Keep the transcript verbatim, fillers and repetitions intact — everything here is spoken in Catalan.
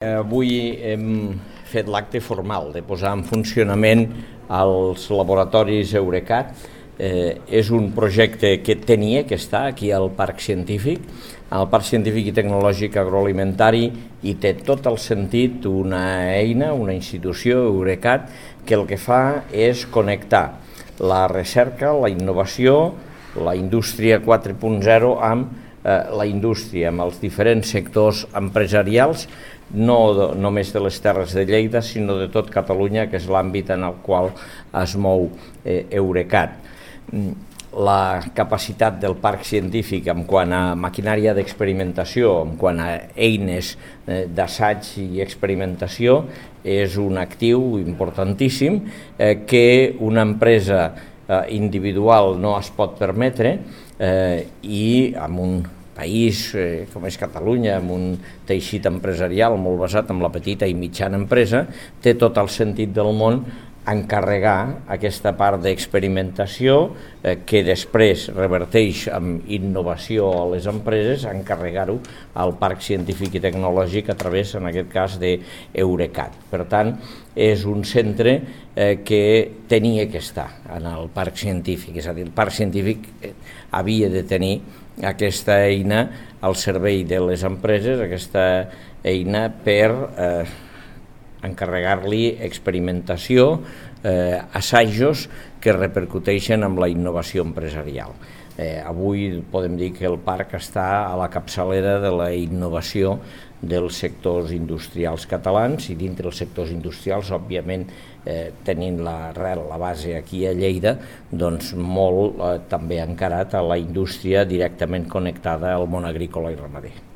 Avui hem fet l'acte formal de posar en funcionament els laboratoris Eurecat. Eh, és un projecte que tenia que estar aquí al Parc Científic, al Parc Científic i Tecnològic Agroalimentari, i té tot el sentit una eina, una institució, Eurecat, que el que fa és connectar la recerca, la innovació, la indústria quatre punt zero amb eh, la indústria, amb els diferents sectors empresarials, no de, només de les Terres de Lleida, sinó de tot Catalunya, que és l'àmbit en el qual es mou eh, Eurecat. La capacitat del parc científic en quant a maquinària d'experimentació, en quant a eines eh, d'assaig i experimentació, és un actiu importantíssim eh, que una empresa eh, individual no es pot permetre eh, i amb un país eh, com és Catalunya, amb un teixit empresarial molt basat en la petita i mitjana empresa, té tot el sentit del món encarregar aquesta part d'experimentació eh, que després reverteix en innovació a les empreses, encarregar-ho al Parc Científic i Tecnològic a través, en aquest cas, d'Eurecat. Per tant, és un centre eh, que tenia que estar en el Parc Científic, és a dir, el Parc Científic eh, havia de tenir aquesta eina al servei de les empreses, aquesta eina per eh, encarregar-li experimentació, eh, assajos que repercuteixen amb la innovació empresarial. Eh, avui podem dir que el parc està a la capçalera de la innovació dels sectors industrials catalans, i dintre dels sectors industrials, òbviament, eh, tenint l'arrel, la base aquí a Lleida, doncs molt eh, també encarat a la indústria directament connectada al món agrícola i ramader.